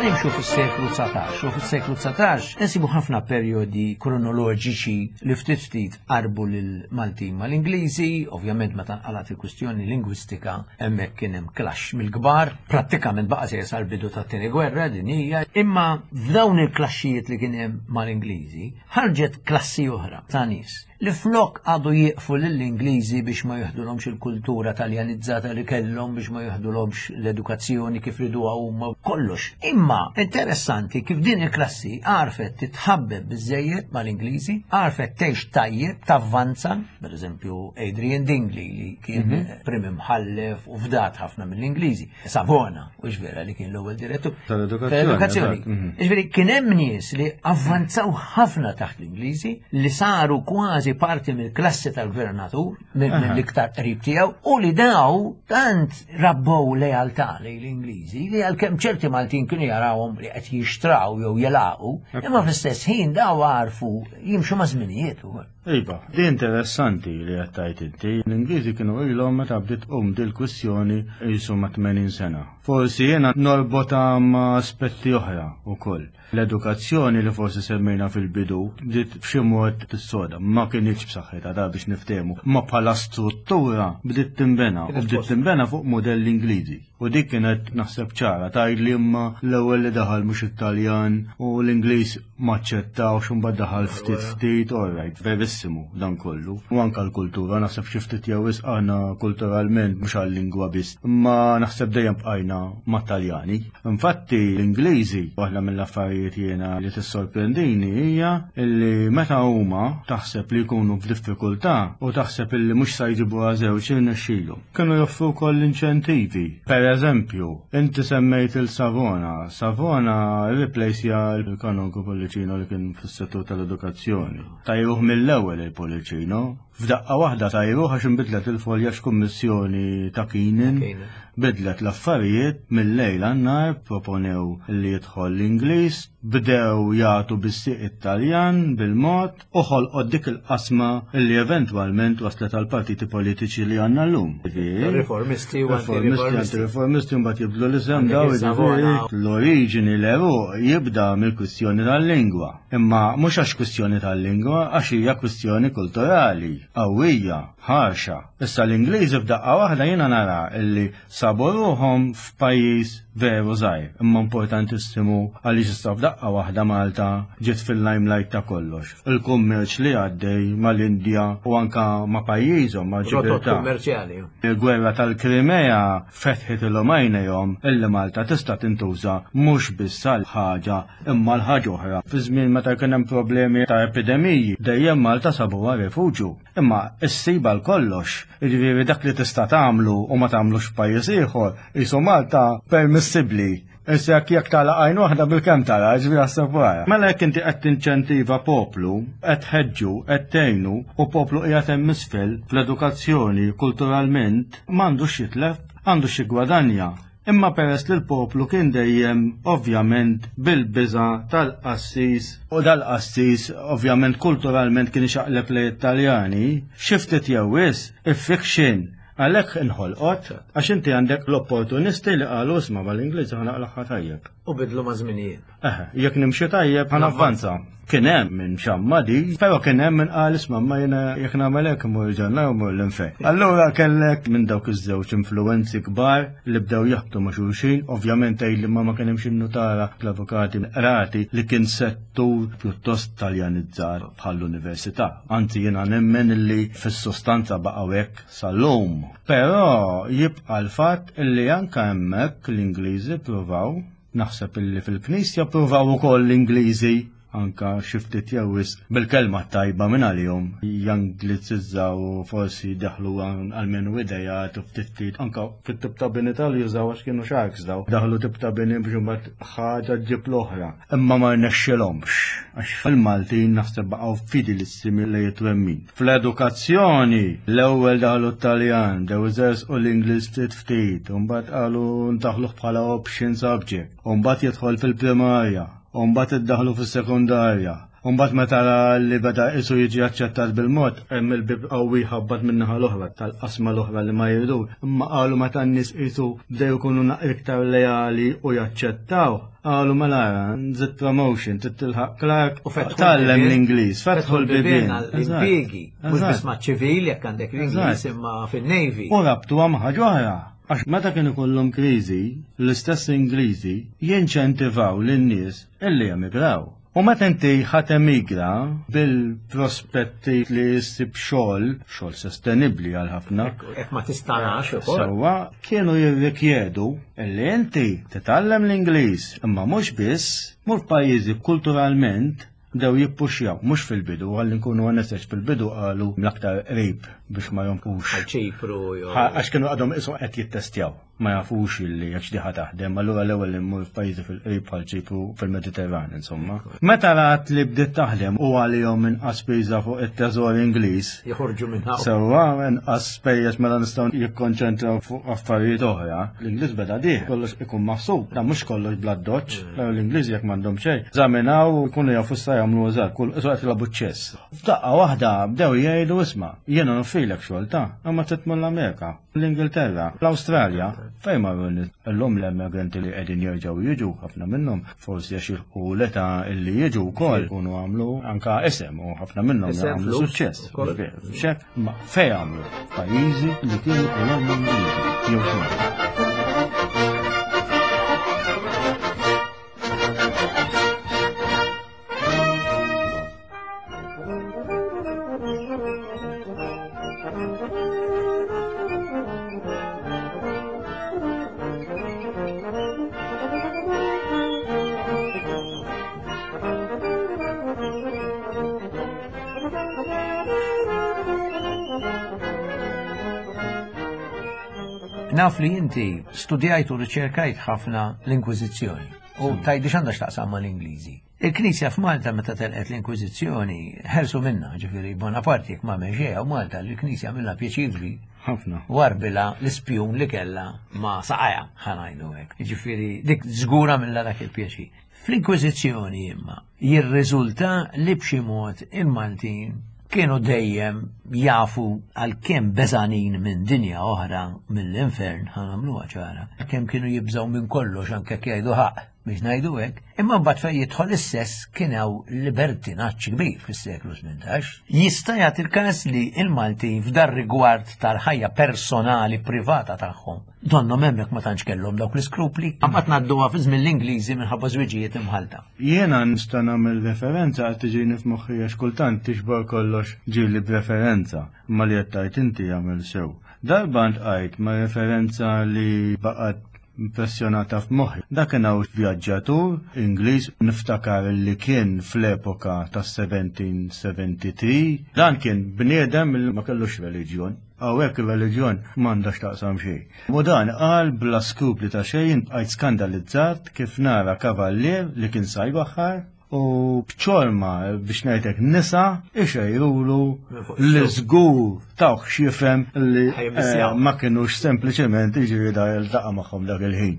Speaker 1: Ħanimxu fis-seklu 19 u fis-seklu 19 insibu ħafna perjodi kronoloġiċi li ftit ftit qarbu lil Maltin mal-Ingliżi, ovvjament meta nqalat il-kwistjoni lingwistika hemmhekk kien hemm clash mill-kbar, prattikament baqa' sejjer sal-bidu tat-tieni gwerra dinjija, imma f'dawn il-klaxxijiet li kien hemm mal-Ingliżi ħarġet klassi oħra ta' nies li flok għadu jieqfu lill-Ingliżi biex ma jiħdulhomx il-kultura taljanizzata li kellhom biex ma jiħdulhomx l-edukazzjoni kif riduha huma kollox. Imma interessanti kif din il-klassi għarfet titħabbeb biżejjed mal-Ingliżi, għarfet tgħix tajjeb, tavvanza, per eżempju Adrian Dingley li kien mhm. prim imħallef u fdat ħafna mill-Ingliżi. Savona, u vera li kien l-ewwel direttur
Speaker 5: tal-edukazzjoni.
Speaker 1: Mhm. Ġifieri kien hemm nies li avvanzaw ħafna taħt l-Ingliżi li saru kważi parti mill-klassi tal-gvernatur, mill-iktar qrib tiegħu, u li daw tant rabbow lealtà lejn l-Ingliżi li għalkemm ċerti Maltin kienu jarawhom li qed jixtraw jew jelaqu, imma fl-istess ħin daw għarfu jimxu ma' żminijiet ukoll.
Speaker 5: Iva, di interessanti li qed tgħid inti. L-Ingliżi kienu ilhom meta bdiet tqum dil-kwistjoni qisu ma' 80 sena. Forsi jiena norbotha ma' aspetti oħra wkoll. L-edukazzjoni li forsi semmejna fil-bidu bdiet b'xi mod tissoda, ma kinitx b'saħħitha da biex niftehmu, imma bħala struttura bdiet tinbena u bdiet tinbena fuq mudelli Ingliżi. U dik kienet naħseb ċara, tgħidli imma l-ewwel li daħal mhux it-Taljan u l-Ingliż maċċettawx u mbagħad daħal ftit ftit, all right, verissimu dan kollu. U anke l-kultura, naħseb xi ftit jew wisq aħna kulturalment mhux għal-lingwa biss, imma naħseb dejjem bqajna mat-Taljani. Infatti l-Ingliżi, waħda mill-affarijiet jiena li tissorprendini hija li meta huma taħseb li jkunu f'diffikultà u taħseb illi mhux sa jġibuha żewġ irnexxilhom. Kienu joffru wkoll inċentivi. Per eżempju, inti semmejt il-Savona. Savona rriplejsja l-kanonku Pollicino li kien fis-settur tal-edukazzjoni. Tajruh mill-ewwel il-Pollicino. F'daqqa waħda tajruh għax inbidlet il-folja x'kummissjoni ta' Keenan bidlet l-affarijiet mill-lejl għan-nhar, proponew li jidħol l-Ingliż, bdew jagħtu bis-sieq it-Taljan bil-mod u ħolqot dik il-qasma li eventwalment waslet għal partiti politiċi li għandna llum.
Speaker 1: Riformisti u
Speaker 5: anti-riformisti mbagħad jibdlu l-isem daw l-oriġini l-għeruq jibda mill-kwistjoni tal-lingwa. Imma mhux għax kwistjoni tal-lingwa, għax hija kwistjoni kulturali, qawwija, ħarxa. Issa l-Ingliżi f'daqqa waħda jiena nara illi sabu ruħhom f'pajjiż veru żgħir, imma importantissimu għaliex issa f'daqqa waħda Malta ġiet fil-limelight ta' kollox. Il-kummerċ li għaddej mal-Indja u anka ma' pajjiżhom ma'
Speaker 1: Ġibiltà. kummerċjali.
Speaker 5: Il-gwerra tal-Krimea fetħitilhom għajnejhom illi Malta tista' tintuża mhux biss għal ħaġa imma għal ħaġa oħra. Fi żmien meta kien hemm problemi ta' epidemiji, dejjem Malta sabuha refuġju. Imma issib għal kollox, jiġifieri dak li tista' tagħmlu u ma tagħmlux f'pajjiż ieħor, qisu Malta permissibbli. Issa jekk jekk tagħlaq għajn waħda bilkemm tara, jiġifieri aħseb wara. Mela jekk inti qed tinċentiva poplu, qed tħeġġu, qed tgħinu u poplu qiegħed hemm isfel fl-edukazzjoni, kulturalment, m'għandux x'jitlef, għandu x'jiggwadanja. Imma peress li l-poplu kien dejjem ovvjament bil-biża' tal-qassis, u dal-qassis ovvjament kulturalment kien ixaqleb lejn it-Taljani, xi ftit jew wisq, il-fiction għalhekk inħolqot, għax inti għandek l-opportunisti li qalu isma' mal-Ingliżi ħa naqlagħha tajjeb.
Speaker 1: U bidlu maż-żminijiet.
Speaker 5: Eħe, jekk nimxi tajjeb ħa navvanza. Kien hemm min xamma di, però kien hemm min qal isma' ma jiena jekk nagħmel hekk immur il-ġenna jew immur l-infern. Allura kellek minn dawk iż-żewġ influwenzi kbar li bdew jaħbtu ma' xulxin, ovvjament tgħid li ma ma kien hemmx in-nutara, l-avukati, l-qrati li kien settur pjuttost Taljanizzat bħall-università. Anzi jiena nemmen li fis-sostanza baqgħu hekk sal-lum. Però jibqa' l-fatt li anke hemmhekk l-Ingliżi ppruvaw. Naħseb illi fil-Knisja ppruvaw ukoll l-Ingliżi anka xi ftit jew wisq bil-kelma t-tajba minn għalihom janglizizzaw u forsi daħlu almenu idejat u ftit ftit anka fit-tip ta' bini tal-jużaw għax kienu sharks daw. Daħlu tip ta' bini biex imbagħad ħaġa ġġib l-oħra. Imma ma rnexxilhomx għax fil-Maltin naħseb baqgħu fidelissimi lejn it-twemmin. Fl-edukazzjoni, l-ewwel daħlu t-Taljan, bdew iżerżqu l-Ingliż ftit ftit, u mbagħad qalu ndaħħluh bħala option subject, u mbagħad jidħol fil-primarja, u mbagħad iddaħħlu fis-sekondarja. U mbagħad meta ra li beda qisu jiġi aċċettat bil-mod, hemm il-bieb qawwi jħabbat min-naħa l-oħra, tal-qasma l-oħra li ma jridux. Imma qalu meta n-nies qisu bdew ikunu naqra iktar leali u jaċċettawh, Qalu mela ara, nżid promotion, trid tilħaq Clark,
Speaker 1: U fetħu
Speaker 5: tgħallem
Speaker 1: l-bibien.
Speaker 5: l-Ingliż, fetħu l-bibien.
Speaker 1: L-impjiegi, mhux
Speaker 5: Eżatt.
Speaker 1: biss maċ-ċivil jekk għandek l-Ingliż imma fin-Navy.
Speaker 5: U rabtuha ma' ħaġa oħra, għax meta kien ikollhom kriżi, l-istess Ingliżi jinċentivaw lin-nies illi jemigraw. U meta inti ħa temigra bil-prospetti li ssib xogħol, xogħol sostenibbli għal ħafna,
Speaker 1: Jekk ma tistanax ukoll.
Speaker 5: Sewwa, kienu jirrikjedu illi inti titgħallem l-Ingliż, imma mhux biss, mur f'pajjiżi kulturalment bdew jippuxjaw, mhux fil-bidu, ħalli nkunu onesti għax fil-bidu qalu l-aktar qrib biex ma jonqux.
Speaker 1: Għal Ċipru jew.
Speaker 5: Għax kienu għadhom qisu qed jittestjaw. Ma jafux illi jekk x'diħa taħdem, allura l-ewwel immur f'pajjiżi fil-qrib bħal Ċipru fil-Mediterran, insomma. Meta rat li bdiet taħdem u għalihom inqas spiża fuq it-teżor Ingliż.
Speaker 1: Joħorġu minn hawn.
Speaker 5: Sewwa, inqas spejjeż mela nistgħu jikkonċentraw fuq affarijiet oħra. L-Ingliż beda dieħ, kollox ikun maħsub, dan mhux kollox bl-addoċċ, mm. l-Ingliżi jekk m'għandhom xejn. Żaminaw u jkunu jafu sa jagħmlu eżatt, kull qed jilagħbu ċess. F'daqqa waħda bdew jgħidu isma' jiena nofrilek xogħol ta' imma trid tmur l-Amerika. L-Ingilterra, l-Awstralja, fejn marru n-nies? Illum l-immigranti li qegħdin jerġgħu jiġu, ħafna minnhom, forsi għax jilħqu l-età illi jiġu wkoll ikunu għamlu anka isem u ħafna minnhom għamlu suċċess. Xek, ma fejn għamlu? Pajjiżi li kienu kolonni Ingliżi jew xogħol.
Speaker 1: Naf li inti studjajt u riċerkajt ħafna l-Inkwiżizzjoni. U tajdi x'għandha x'taqsam mal-Ingliżi. Il-Knisja f'Malta meta telqet l-Inkwiżizzjoni ħelsu minna, ġifieri Bonaparte jekk ma għamel u Malta l-Knisja minnha pjaċir kbir.
Speaker 5: Ħafna.
Speaker 1: Warbila l-ispjun li kellha ma saqajha ħa ngħidu hekk. Ġifieri dik żgura minnha dak il-pjaċir. Fl-Inkwiżizzjoni imma jirriżulta li b'xi mod il-Maltin kienu dejjem jafu għalkemm beżanin minn dinja oħra mill-infern ħa nagħmluha ċara, kemm kienu jibżgħu minn kollox anke jekk jgħidu ħaqq biex ngħidu hekk, imma mbagħad fejn jidħol is-sess kien hawn libertinaġġ kbir fis-seklu 18. Jista' jagħti l-każ li l-Maltin f'dar rigward tal-ħajja personali privata tagħhom Donnhom hemmhekk ma tantx kellhom dawk l-iskrupli. Mbagħad ngħadduha fi żmien l-Ingliżi minħabba żwiġijiet imħallta.
Speaker 5: Jiena nista' nagħmel referenza qed tiġini f'moħħi għax kultant tixbor kollox ġieli b'referenza, imma li qed tgħid inti jagħmel sew. Darba ntqajt ma' referenza li baqgħet impressjonata f'moħħi. Dak kien hawn vjaġġatur Ingliż niftakar li kien fl-epoka tas-1773. Dan kien bniedem li ma kellux reliġjon. Hawnhekk ir-reliġjon m'għandha x'taqsam xejn. U dan qal bla skrupli ta' xejn jien bqajt skandalizzat kif nara kavallier li kien sa jbaħħar u b'ċorma biex ngħidlek nisa ixejrulu li żgur tawh x'jifhem li eh, ma kinux sempliċement jiġri da jiltaqa' magħhom dak il-ħin.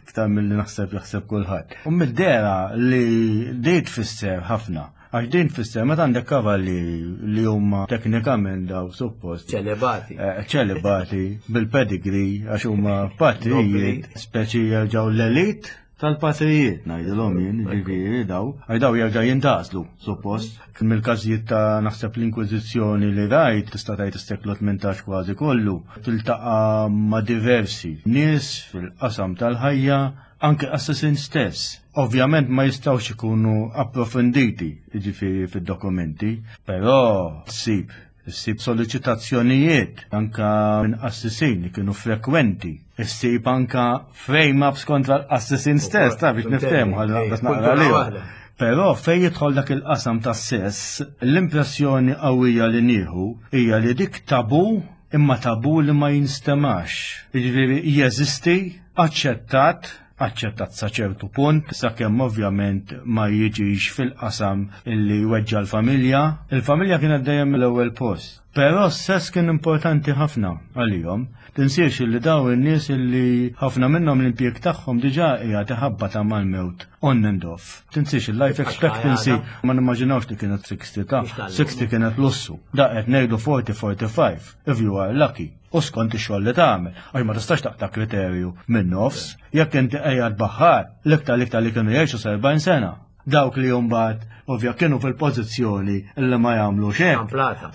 Speaker 5: Iktar milli naħseb jaħseb kulħadd. U mid-dera li di tfisser ħafna Għax din tfisser meta għandek kavallieri li huma teknikament daw suppost.
Speaker 1: Ċelibati.
Speaker 5: Eh, ċelibati bil-pedigree għax huma patrijiet, speċi jerġgħu l-elit tal-patrijiet ngħidilhom jien, ġifieri daw, għax daw jerġa' jintgħażlu suppost. Mill-każijiet ta' naħseb l-Inkwiżizzjoni li rajt, tista' tgħid is-seklu 18 kważi kollu, tiltaqa' ma' diversi nies fil-qasam tal-ħajja Anke assassin stess. Ovvjament ma jistgħux ikunu approfonditi, jiġifieri fid-dokumenti, però ssib issib solliċitazzjonijiet anka minn qassisin li kienu frekwenti. Issib anka frame-ups kontra l-qassisin stess, ta' biex niftehmu għal naqra Però fejn jidħol dak il-qasam tas-sess, l-impressjoni qawwija li nieħu hija li dik tabu imma tabu li ma jinstemax. Jiġifieri jeżisti aċċettat, aċċettat sa ċertu punt, sakemm ovvjament ma jiġix fil-qasam illi jweġġa' l-familja. Il-familja kienet dejjem l-ewwel post. Però s-sess kien importanti ħafna għalihom. Tinsiex illi dawn in-nies illi ħafna minnhom l-impjieg tagħhom diġà qiegħed iħabbatha mal-mewt on and off. Tinsiex il-life expectancy ma nimmaġinawx li kienet 60 ta' 60 kienet lussu. Da qed ngħidu 40 45 if you are lucky u skont ix-xogħol li tagħmel, għax ma tistax taqta' kriterju minn nofs, jekk inti qiegħed baħħar, l-iktar l-iktar li kienu jgħixu 70 sena. Dawk li mbagħad ovvja kienu fil-pożizzjoni li ma jagħmlu xejn.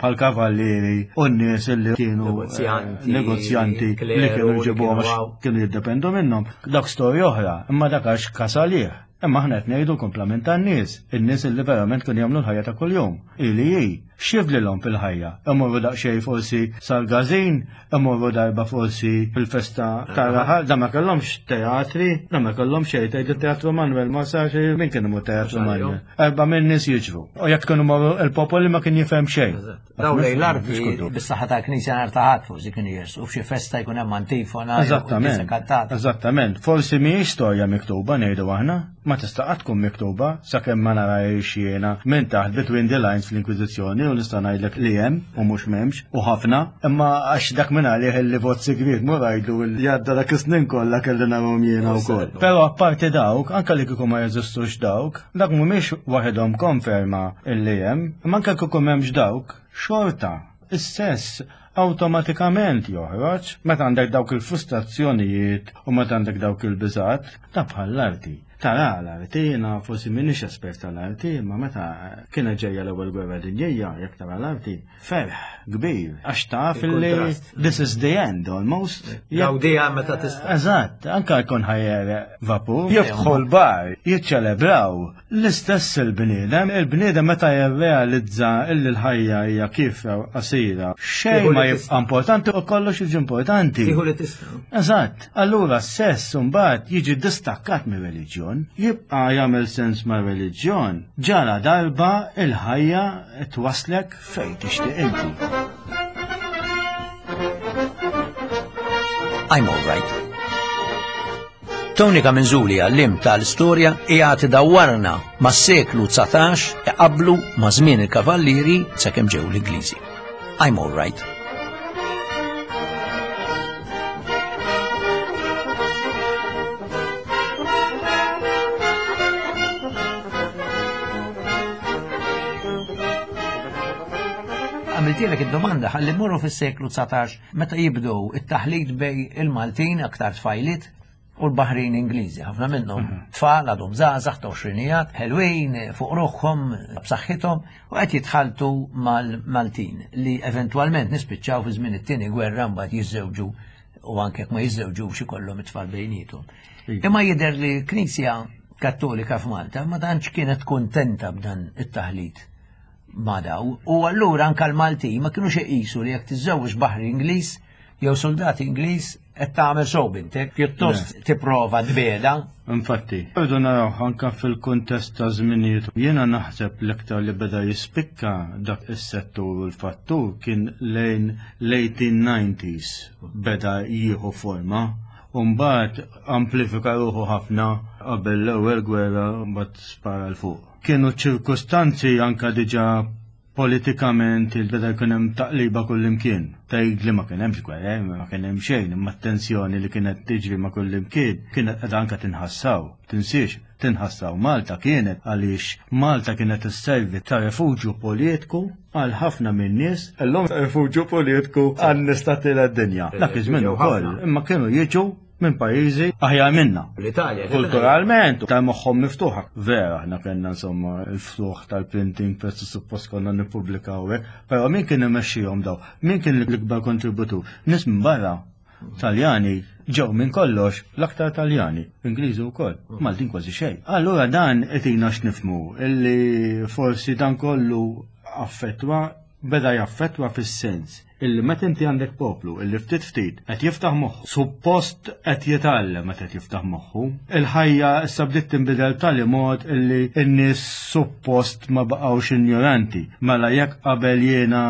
Speaker 5: Bħal kavallieri u n-nies li kienu negozjanti li kienu jġibuhom għax kienu jiddependu minnhom. Dak storja oħra, imma dak għax kasalih. Imma aħna qed ngħidu l-kumplament tan-nies, in-nies li verament kienu jagħmlu l-ħajja ta' kuljum. Ili hi, x'jifdlilhom fil-ħajja? Imorru daqsxejn forsi sal-każin, imorru darba forsi fil-festa tar-raħal, da ma kellhomx teatri, da ma kellhomx xejn, tgħid it-Teatru Manuel ma sarx min kien imur Teatru Manuel. Erba' minn nies jiġru. U jekk kienu morru il-popoli ma kien jifhem xejn.
Speaker 1: Daw lejn l-arti bis-saħħa tal-Knisja nhar ta' Ħadd forsi kienu jersu f'xi festa jkun hemm antifona.
Speaker 5: Eżattament. Eżattament. Forsi mhijiex storja miktuba ngħidu aħna, ma tista' qatt tkun miktuba sakemm ma narahiex jiena minn taħt between the lines fl-Inkwiżizzjoni u nista' ngħidlek li hemm u mhux m'hemmx u ħafna, imma għax dak minn għalih li vot sigriet mur għidlu li għadda dak is-snin kollha kelli narahom jiena wkoll. Però apparti dawk, anke li kieku ma jeżistux dawk, Dak mhumiex waħedhom konferma illi hemm, imma anke kieku m'hemmx dawk, xorta, is-sess awtomatikament joħroġ meta għandek dawk il-frustrazzjonijiet u meta għandek dawk il-biżgħat, ta' bħal l-arti. Tara l-arti, jiena forsi m'iniex espert tal-arti, imma meta kienet ġejja l-ewwel gwerra dinjija, jekk tara l-arti, ferħ kbir, għax taf li this is the end almost.
Speaker 1: Gawdija meta tista'.
Speaker 5: Eżatt, anka jkun ħajjer vapur, jidħol bar, jiċċelebraw l-istess il-bniedem, il-bniedem meta jirrealizza illi l-ħajja hija kif qasira, xejn ma jibqa' importanti u kollox jiġi importanti.
Speaker 1: Tieħu li tista'.
Speaker 5: Eżatt, allura s-sess mbagħad jiġi distakkat mir-reliġjon, jibqa' jagħmel sens mar-reliġjon ġara darba il-ħajja twaslek fejn tixtieq inti.
Speaker 1: I'm all right. Tony Camenzuli għallim tal-istorja qiegħed idawwarna mas-seklu 19 iqabblu ma' żmien il-Kavallieri sakemm ġew l-Ingliżi. I'm all right. Għamiltilek id-domanda ħalli mmorru fis-seklu 19 meta jibdew it-taħlit bej il-Maltin aktar tfajliet u l-Baħrin Ingliżi, ħafna minnhom mhm. tfal għadhom żgħażagħ ta' għoxrinijat, ħelwin fuq ruħhom b'saħħithom u qed jitħaltu mal-Maltin li eventwalment nispiċċaw fi żmien it-tieni gwerra mbagħad jiżżewġu u anke jekk ma jiżżewġux ikollhom it-tfal bejniethom. Iva. Imma jidher li l-Knisja Kattolika f'Malta ma tantx kienet kuntenta b'dan it-taħlit ma' daw u allura anke l-Maltin ma kinux iqisu li jekk tiżżewweġ baħri Ingliż jew soldat Ingliż qed tagħmel sew bintek, pjuttost tipprova tbiegħda.
Speaker 5: Infatti, rridu naraw anke fil-kuntest ta' żminijiet. Jiena naħseb l-iktar li beda jispikka dak is-settur u l-fattur kien lejn l-1890s beda jieħu forma u mbagħad amplifika ruħu ħafna qabel l-ewwel gwerra mbagħad spara 'l fuq. Kienu ċirkustanzi anke diġà Politikament il-beda jkun hemm taqliba kullimkien. Tgħid li ma kien hemmx gwerra, ma kien hemm xejn, imma t-tensjoni li kienet tiġri ma' kullimkien kienet qiegħda anke tinħassaw. Tinsiex, tinħassaw Malta kienet għaliex Malta kienet isservi ta' refuġju politiku għal ħafna min-nies, illum refuġju politiku għan-nies tat-tielet dinja. Dak iż-żmien ukoll, imma kienu jiġu minn pajjiżi aħjar minna.
Speaker 1: L-Italja.
Speaker 5: Kulturalment, ta' moħħhom miftuħa. Vera, aħna kellna insomma il-ftuħ tal-printing press u suppost konna nippubblikaw hekk, però min kien imexxihom daw? Min kien l-ikbar kontributur? Nies minn barra. Taljani ġew minn kollox, l-aktar Taljani, Ingliżi wkoll, Maltin kważi xejn. Allura dan qed x'nifhmu illi forsi dan kollu affettwa beda jaffettwa fis-sens illi meta inti għandek poplu illi ftit ftit qed jiftaħ moħħu, suppost qed jitgħallem meta qed jiftaħ moħħu, il-ħajja issa bdiet tinbidel b'tali mod illi n-nies suppost ma baqgħux injoranti. Mela jekk qabel jiena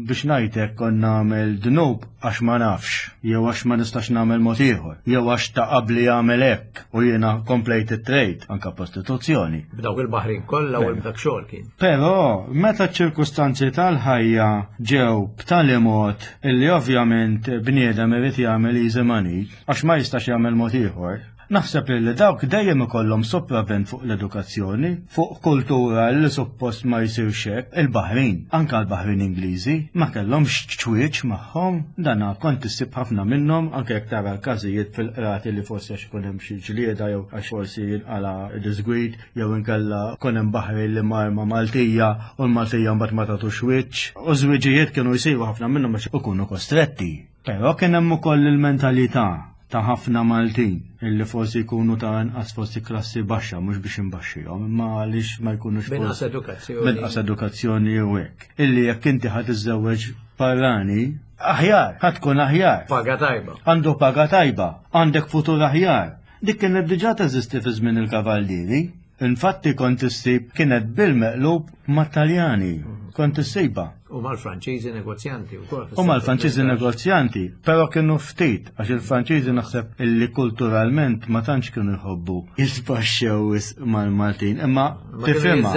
Speaker 5: biex ngħid hekk kont nagħmel dnub għax ma nafx, jew għax ma nistax nagħmel mod ieħor, jew għax ta' qabli jagħmel hekk u jiena komplejt it-trade, anke prostituzzjoni.
Speaker 1: B'dawk il-baħrin kollha u b'dak xogħol kien.
Speaker 5: Però, meta ċ-ċirkustanzi tal-ħajja ġew b'tali mod illi ovvjament bniedem irid jagħmel easy money, għax ma jistax jagħmel mod ieħor, naħseb illi dawk dejjem ikollhom sopravvent fuq l-edukazzjoni, fuq kultura li suppost ma jsirx hekk. Il-baħrin, anke l-baħrin Ingliżi, ma kellhomx ċwieċ magħhom, dana kont issib ħafna minnhom, anke jekk tara l-każijiet fil-qrati li forsi għax ikun hemm xi ġlieda jew għax forsi jinqala' diżgwid, jew inkella kun hemm baħri li mar ma' Maltija u l-Maltija mbagħad ma tagħtux wiċċ. U żwiġijiet kienu jsiru ħafna minnhom għax ikunu kostretti. Però kien hemm ukoll il-mentalità ta' ħafna Maltin illi forsi jkunu ta' inqas forsi klassi baxxa mhux biex inbaxxihom imma għaliex ma jkunux
Speaker 1: Binqas edukazzjoni.
Speaker 5: Binqas edukazzjoni jew hekk. Illi jekk inti ħa tiżżewweġ barrani, aħjar, ħa tkun aħjar.
Speaker 1: Paga tajba.
Speaker 5: Għandu paga tajba, għandek futur aħjar. Dik kienet diġà teżisti fi żmien il-Kavallieri. Infatti kont issib kienet bil-meqlub mat-Taljani. Kont issibha.
Speaker 1: U mal-Franċiżi negozjanti wkoll.
Speaker 5: U mal-Franċiżi negozjanti, però kienu ftit, għax il-Franċiżi naħseb illi kulturalment ma tantx kienu jħobbu jisbaxxew wisq mal-Maltin, imma tifhimha.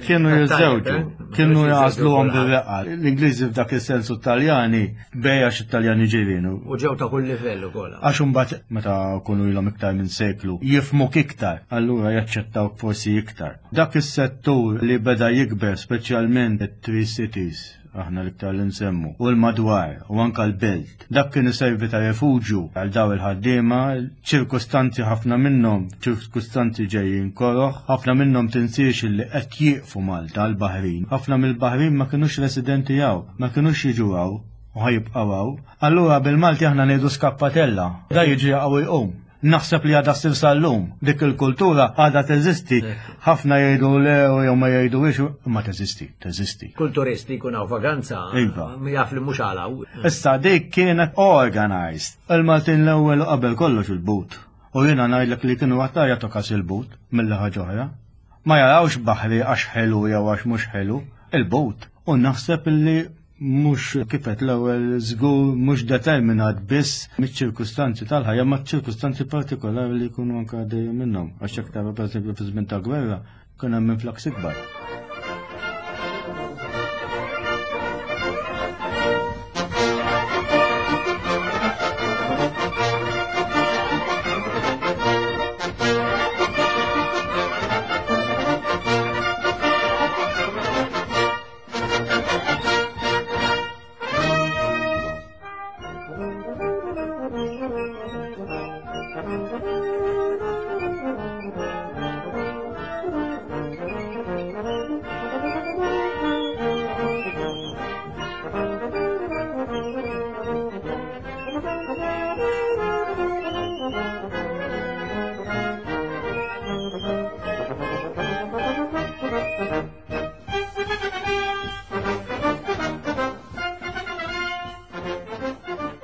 Speaker 1: Kienu
Speaker 5: jiżżewġu, eh? kienu jagħżluhom bir-reqqa. L-Ingliżi f'dak is-sens u t-Taljani Bej għax it-Taljani ġirien.
Speaker 1: U ġew ta' kull livell ukoll.
Speaker 5: Għax imbagħad meta kunu ilhom iktar minn seklu jifhmuk iktar, allura jaċċettawk forsi iktar. Dak is-settur li beda jikber speċjalment it-Three Cities, aħna l-iktar li nsemmu, u l-madwar u anke l-belt. Dak kien iservi ta' refuġju għal daw il-ħaddiema, ċirkustanzi ħafna minnhom, ċirkustanzi ġejjin koroh, ħafna minnhom tinsiex li qed jieqfu Malta l-baħrin. Ħafna mill-baħrin ma kinux residenti hawn. Ma kinux jiġu hawn u ħa jibqgħu hawn. Allura bil-Malti aħna ngħidu skappatella. Da jiġi jaqa' u jqum. Naħseb li għadha ssir sal-lum. Dik il-kultura għadha teżisti. Ħafna jgħidu le u jew ma jgħiduhiex, imma teżisti, teżisti.
Speaker 1: Kull turist li jkun hawn vaganza
Speaker 5: iva.
Speaker 1: jaf li mhux għal hawn.
Speaker 5: Issa dik kienet organized. Il-Maltin l-ewwel u qabel kollox il-but. U jiena ngħidlek li kienu aktar jagħtu kas il-but milli ħaġa oħra. Ma jarawx baħri għax ħelu jew għax mhux ħelu, il-but. U naħseb li Mhux kif għedt l-ewwel żgur mhux determinat biss miċ-ċirkustanzi tal-ħajja ma' ċirkustanzi partikolari li jkunu anke għaddejjin minnhom. Għax jekk tara pereżempju fi żmien ta' gwerra kien hemm influx ikbar.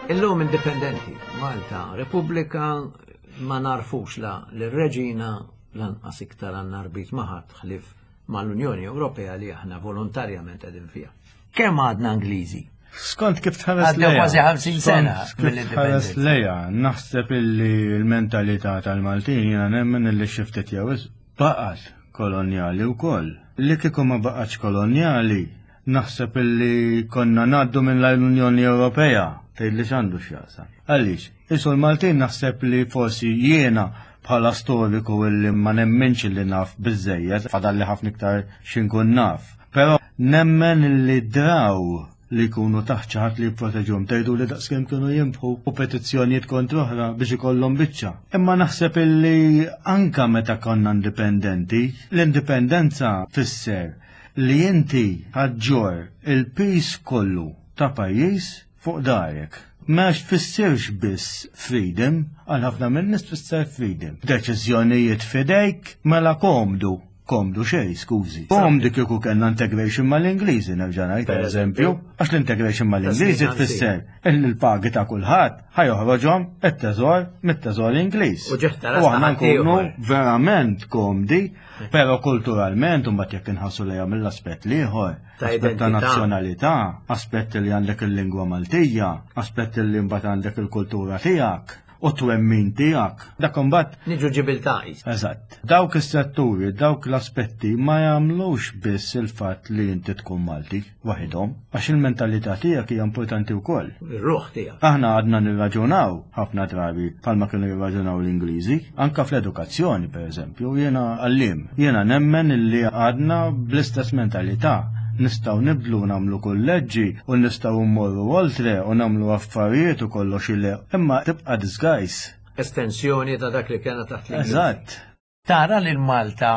Speaker 1: Illum indipendenti, Malta, Repubblika, ma narfux la l-reġina lanqas iktar għandna rbit maħat ħlif mal-Unjoni Ewropea li aħna volontarjament qegħdin fiha. Kemm għadna Ingliżi?
Speaker 5: Skont kif tħares
Speaker 1: lejha. Kważi 50 sena
Speaker 5: mill-indipendenza. Lejha, naħseb illi l-mentalità tal-Maltin jiena nemmen illi xiftet jew baqgħet kolonjali wkoll. Li kieku ma baqgħetx kolonjali, naħseb illi konna ngħaddu minn l-Unjoni Ewropea tgħid li x'għandu x'jaqsam. Għaliex, isu l-Maltin naħseb li forsi jiena bħala storiku illi ma nemminx illi naf biżejjed, fadalli ħafna iktar x'inkun naf. Però nemmen illi draw li jkunu taħt xi ħadd li jipproteġuhom tgħidu li daqskemm kienu jinbħu u petizzjonijiet kontra oħra biex ikollhom biċċa. Imma naħseb illi anka meta konna indipendenti, l-indipendenza fisser li inti ħaġġor il-pis kollu ta' pajjiż fuq darek. Ma tfissirx biss freedom, għal ħafna minn nies tfisser freedom. Deċiżjonijiet fidejk mela komdu. Komdu xejn, skużi. Komdu kieku kellna integration mal-Ingliżi nerġa' ngħid pereżempju, għax l-integration mal-Ingliżi tfisser illi l-pagi ta' kulħadd ħajoħroġhom it-teżor mit-teżor Ingliż. U aħna nkunu verament komdi, però kulturalment u mbagħad jekk inħassu lejha mill-aspett l-ieħor, aspett ta' nazzjonalità, aspett li għandek il-lingwa Maltija, aspett li mbagħad għandek il-kultura tiegħek u twemmin tiegħek. Dak imbagħad
Speaker 1: Niġu ġibiltà.
Speaker 5: Eżatt. Dawk is-setturi, dawk l-aspetti ma jagħmlux biss il-fatt li inti tkun Malti waħidhom, għax il-mentalità tiegħek hija importanti wkoll.
Speaker 1: Ir-ruħ tiegħek.
Speaker 5: Aħna għadna nirraġunaw ħafna drabi bħalma kienu jirraġunaw l-Ingliżi, anka fl-edukazzjoni pereżempju, jiena għalliem. Jiena nemmen illi għadna bl-istess mentalità nistgħu nibdlu nagħmlu kulleġġi u nistgħu mmorru oltre u nagħmlu affarijiet u kollox ile, imma tibqa' disguise.
Speaker 1: Estensjoni ta' dak li kena taħt l
Speaker 5: Eżatt.
Speaker 1: Tara lil Malta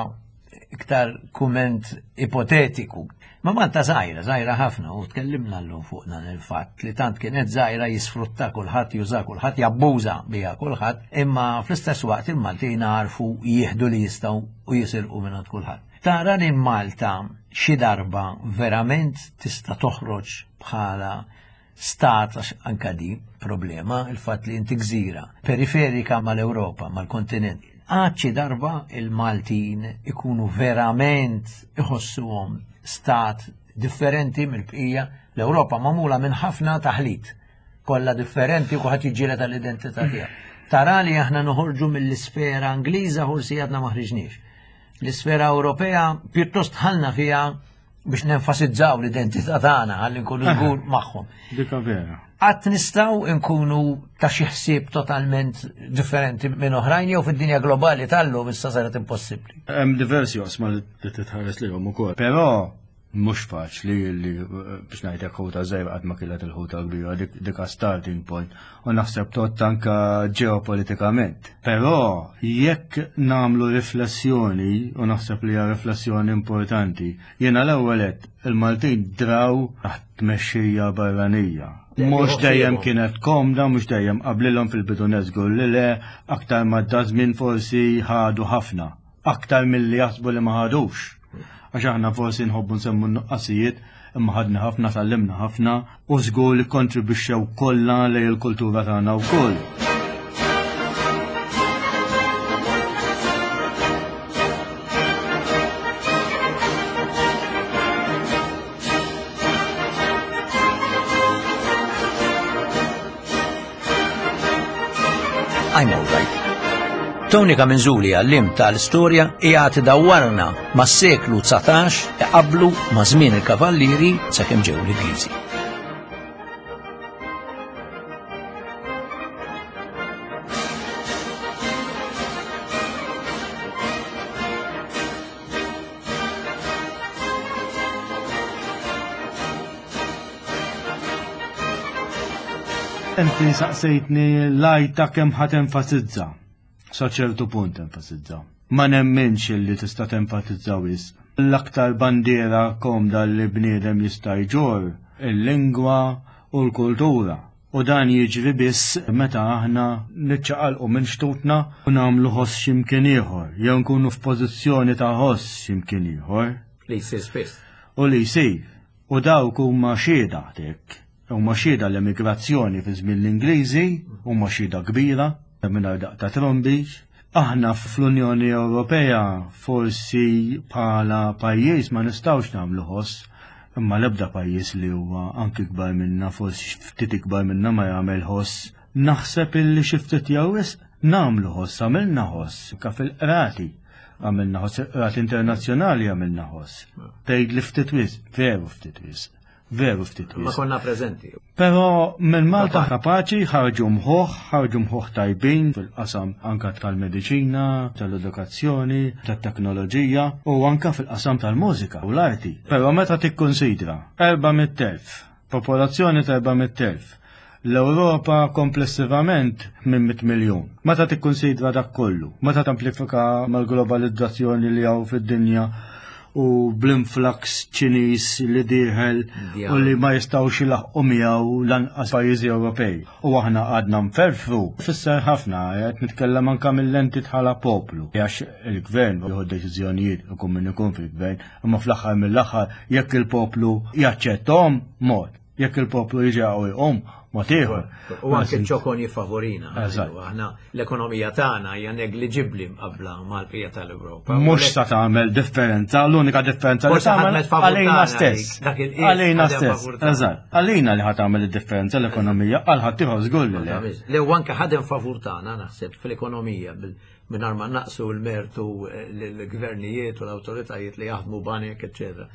Speaker 1: iktar kumment ipotetiku. Ma Malta żgħira, żgħira ħafna, u tkellimna llum fuq dan il-fatt li tant kienet żgħira jisfrutta kulħadd, juża kulħadd, jabbuża biha kulħadd, imma fl-istess waqt il-Maltin għarfu jieħdu li jistgħu u jisirqu minn kulħadd. Tara li Malta xi darba verament tista' toħroġ bħala stat għax anka di problema il-fatt li inti gżira periferika mal-Ewropa, mal-kontinent. Għad xi darba il-Maltin ikunu verament iħossuhom stat differenti mill-bqija l-Ewropa magħmula minn ħafna taħlit kollha differenti u kulħadd jiġġieled għall-identità tiegħu. Tara li aħna noħorġu mill-isfera Ingliża forsi għadna ma ħriġniex. L-isfera Ewropea pjuttost ħalna fiha biex nenfasizzaw l-identità tagħna ħalli nkunu żgur magħhom.
Speaker 5: Dika vera.
Speaker 1: Qatt nistgħu nkunu ta' xi ħsieb totalment differenti minn oħrajn jew fid-dinja globali tal-lum issa saret impossibbli.
Speaker 5: Hemm diversi oqsma li titħares lihom ukoll. Però mhux faċli li biex ngħidlek ħuta żgħira qatt ma kienet il-ħuta kbira dik dika starting point u naħseb tot anka ġeopolitikament. Però jekk nagħmlu riflessjoni u naħseb li hija riflessjoni importanti, jiena l-ewwel għedt il-Maltin draw taħt tmexxija barranija. Mhux dejjem kienet komda, mhux dejjem qablilhom fil-bidu żgur li le, aktar ma żmien forsi ħadu ħafna aktar milli jaħsbu li ma ħadux. Għax aħna forsi nħobbu nsemmu n-nuqqasijiet, imma ħadna ħafna, tgħallimna ħafna u żgur li kontribwixxew kollha lejn il-kultura tagħna wkoll.
Speaker 1: I'm Alright. Tony Kaminzuli għallim tal-istorja qiegħed idawwarna mas-seklu 19 iqabblu ma' żmien il-Kavallieri sakemm ġew l-Ingliżi.
Speaker 5: Inti saqsejtni l-għajta kemm ħa tenfasizza. Sa ċertu punt enfasizza. Ma nemminx li tista' tenfasizza wisq. L-aktar bandiera komda li bniedem jista' jġorr il-lingwa u l-kultura. U dan jiġri biss meta aħna niċċaqalqu minn xtutna u nagħmlu ħoss x'imkien ieħor, jew nkunu f'pożizzjoni ta' ħoss x'imkien ieħor.
Speaker 1: Li jsir spiss.
Speaker 5: U li jsir. U dawk huma xhieda dik. Huma xhieda l-emigrazzjoni fi żmien l-Ingliżi, huma xhieda kbira, mingħajr daqq ta' trombi. Aħna fl-Unjoni Ewropea forsi bħala pajjiż ma nistgħux nagħmlu ħoss Imma l-ebda pajjiż li huwa anki kbar minna, forsi ftit ikbar minna ma jagħmel ħoss. Naħseb illi xi ftit jew wisq nagħmlu ħoss, għamilna ħoss, ka fil-qrati. Għamilna ħoss, il-qrati internazzjonali għamilna ħoss. Tgħid li ftit wisq, veru ftit wisq. Veru ftit wisq.
Speaker 1: Ma konna preżenti.
Speaker 5: Però minn Malta kapaċi ħarġu mħuħ, ħarġu mħuħ tajbin fil-qasam anka tal-mediċina, tal-edukazzjoni, tat-teknoloġija u anka fil-qasam tal-mużika u l-arti. Però meta tikkunsidra 400,000, popolazzjoni ta' 400,000, l-Ewropa komplessivament 800 miljun. Meta tikkunsidra dak kollu, meta tamplifika mal-globalizzazzjoni li hawn fid-dinja u bl-influx Ċiniż li dieħel u li ma jistgħux ilaħqu miegħu lanqas pajjiżi Ewropej. U aħna għadna nferfru, fisser ħafna qed nitkellem anke mill-lenti bħala poplu. Għax il-gvern jieħu deċiżjonijiet ikun min ikun fil-gvern, imma fl-aħħar mill-aħħar jekk il-poplu jaċċettahom mod. Jekk il-poplu jiġi u jqum, mod ieħor.
Speaker 1: U anke ċokon jiffavorina. Aħna l-ekonomija tagħna hija negliġibbli mqabbla mal-bqija tal-Ewropa.
Speaker 5: Mhux sa tagħmel differenza, l-unika differenza li tagħmel għalina stess. Għalina stess. Eżatt. Għalina li ħa tagħmel id-differenza l-ekonomija għal ħadd ieħor żgur li le.
Speaker 1: Le u anke ħadem favur tagħna naħseb fl-ekonomija mingħajr ma naqsu l-mertu eh, l-gvernijiet u l-awtoritajiet li jaħdmu banek, eċċetera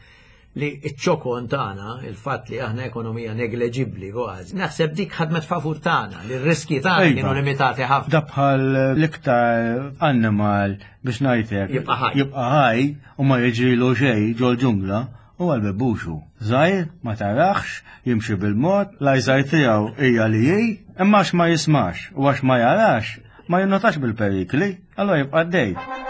Speaker 1: li ċ-ċokon tagħna, il-fatt li aħna ekonomija negleġibbli kważi, naħseb dik ħadmet favur tagħna, li r-riski tagħna iva. kienu limitati ħafna.
Speaker 5: Da bħal l-iktar annimal biex ngħidlek
Speaker 1: jibqa' ħaj.
Speaker 5: Jibqa' ħaj u ma jiġrilu xejn ġol-ġungla u għal bebbuxu. Żgħir, ma taraħx, jimxi bil-mod, l-għajżaj tiegħu hija li hi, imma għax ma jismax u għax ma jarax, ma jinnotax bil-perikli, allora jibqa' għaddej.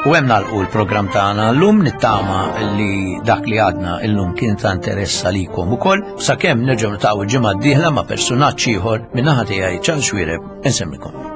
Speaker 1: U hemm nagħlqu l-programm tagħna llum nittama li dak li għadna illum kien ta' interess għalikom ukoll sakemm nerġgħu niltaqgħu l-ġimgħa d-dieħla ma' persunaġġ ieħor min-naħa tiegħi Charles Xuereb insemmikom.